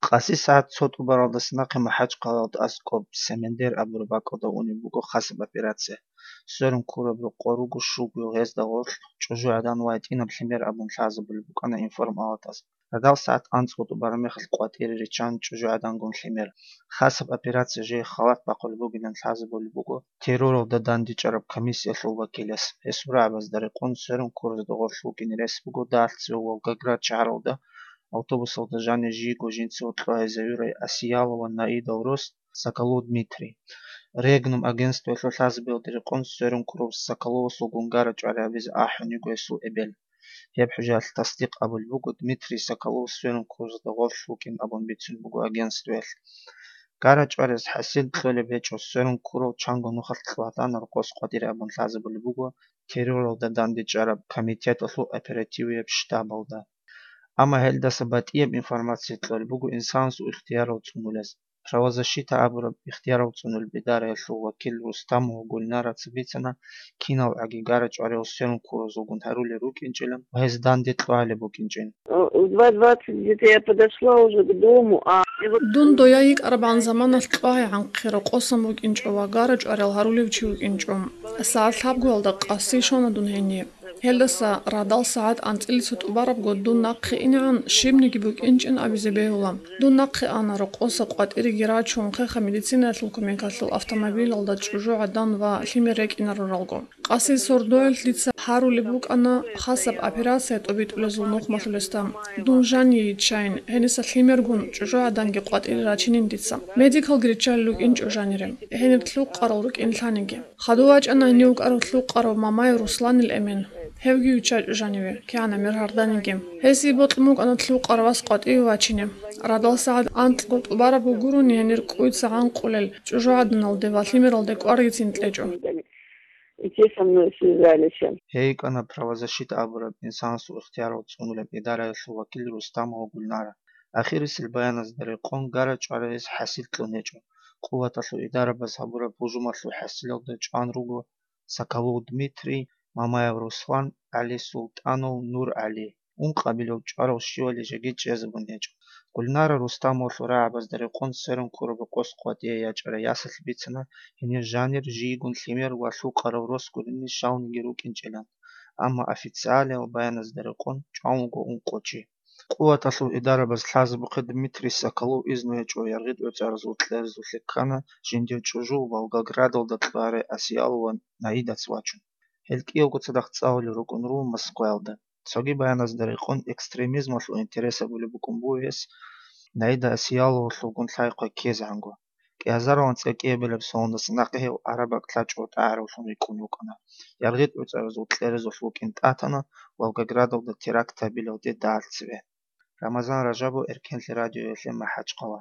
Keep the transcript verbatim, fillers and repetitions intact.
Къаси сагӀат цо тӀубаралдаса нахъе МахӀачхъалаялда аскӀоб Семендер абураб бакӀалда унеб буго хасаб операция. Сверун ккураб рокъор руго щуго гьезда гъорлъ чӀужугӀадан ва гьитӀинаб лъимер абун лъазабулеб букӀана информалатаз. Радал сагӀат анцӀго тӀубараб мехалъ къватӀире риччан чӀужугӀадангун лъимер. Хасаб операция жей халат бахъулеб бугилан лъазабулеб буго терроралда дандечӀараб комиссиялъул вакилас. Гьесул рагӀабазда рекъон сверун ккуразда гъорлъ вукӀине рес буго дагьалъ цеве Волгоград шагьаралда автобусалда жанир жийго жинцаго кьвагьизавурай Асиялова Наидал рос Соколов Дмитрий. Регнум агентствоялъул лъазабиялда рекъон сверун ккурав Соколовасулгун гара-чӀвари гьабизе ахӀун йиго гьесул эбел. Гьеб хӀужаялъ тасдикъ абулеб буго, Дмитрий Соколов сверун ккуразда гъорлъ вукӀин абун бицун буго агентствоялъ. Гара-чӀвариялъ хӀасил кьолеб гьечӀо, сверун ккурал чанго нухалъ кьвагьана рокъос къватӀире абун лъазабулеб буго терроралда дандечӀараб комитеталъул оперативияб штабалда. Амма гьелдаса батӀияб информация кьолеб буго инсанасул ихтиярал цӀунулес. Правозащита абураб ихтиярал цӀунулеб идараялъул вакил Рустамова Гульнараца бицана, киналгӀаги гара-чӀвариялъ сверун ккуразулгун гьарулел рукӀинчӀилан ва гьез данде кьвагьалеб букӀинчӀин. В два двадцать где-то я подошла уже к дому, а и вот Дун дояй йикӀарабгӀан заманалъ кьвагьи гӀанхъе рокъосан букӀинчӀо ва гара-чӀвариялъ гьарулев чи вукӀинчӀо. СагӀат лъабгоялда къаси щвана дун гьение. Гьелдаса радал сагӀат анцӀила цо тӀубарабго дун нахъе инегӀан щибниги букӀинчӀин абизе бегьула. Дун нахъе ана, рокъоса къватӀиреги рачун, хеха медицинаялъул кумекалъул автомобилалда чӀужугӀадан ва лъимер рекӀинаруралго. Къаси сордоялъ дица гьарулеб букӀана хасаб операция тӀобитӀулезул нухмалъулесда. Дун жание йиччайин, гьениса лъимергун чӀужугӀаданги къватӀире рачинин дица. Медикалги риччалел рукӀинчӀо жанире. Гьениб лъукъарал рукӀин лъаниги. Хадув вачӀана гьенив вукӀарав лъукъарав Мамаев Русланил эмен. Гьевги виччачӀо жаниве, кигӀана мер гьарданиги. Гьесие бокьун букӀана лъукъарав вас къватӀиве вачине. Радал сагӀат анкьго тӀубараб гурони гьенир кӀуйца гӀанкъулел чӀужугӀаданалде ва лъимералде кӀваргицин кьечӀо. И те со мной связались. Гьей йикӀана правозащита абураб инсанасул ихтиярал цӀунулеб идараялъул вакил Рустамова Гульнара. Ахирисел баяназда рекъон гара-чӀвари гьес хӀасил кьун гьечӀо. Къуваталъул идарабаз гьабураб гьужумалъул хӀасилалда чӀван руго Соколов Дмитрий, Мамаев Руслан, ГӀали Султанов, Нур ГӀали. Ункъабилев чӀварав щивали жеги чӀезабун гьечӀо. Гульнара Рустамовалъул рагӀабазда рекъон сверун ккураб рокъос къватӀие ячӀарай ясалъ бицана гьенир жанир жийгун лъимер ва лъукъарав рос гурони щалниги рукӀинчӀилан, амма официалиял баяназда рекъон чӀван вуго ункъо чи. Къуваталъул идарабаз лъазабухъе Дмитрий Соколов изну гьечӀо, яргъи тӀоцӀаразул кьерезулъе ккана жиндир чӀужу Волгоградалда кьвагьарай Асиялова Наидаца вачун. Гьел кӀиявго цадахъ цӀалулел рукӀун руго Москваялда. Цоги баяназда рекъон экстремизмалъул интерес гьабулеб букӀун буго гьес Наида Асияловалъулгун лъай-хъвай ккезегӀанго. КӀиазаралан цӀакъиябилеб соналдаса нахъе гьев Араб бакӀ лъачӀого тӀагӀаравлъун рикӀкӀун вукӀана. ЯргъитӀуцӀаразул кьерезулъ вукӀин тӀатана Волгоградалда теракт гьабилалде дагьалъ цеве. Рамазан Ражабов, Эркенлъи радиоялъе МахӀачхъала.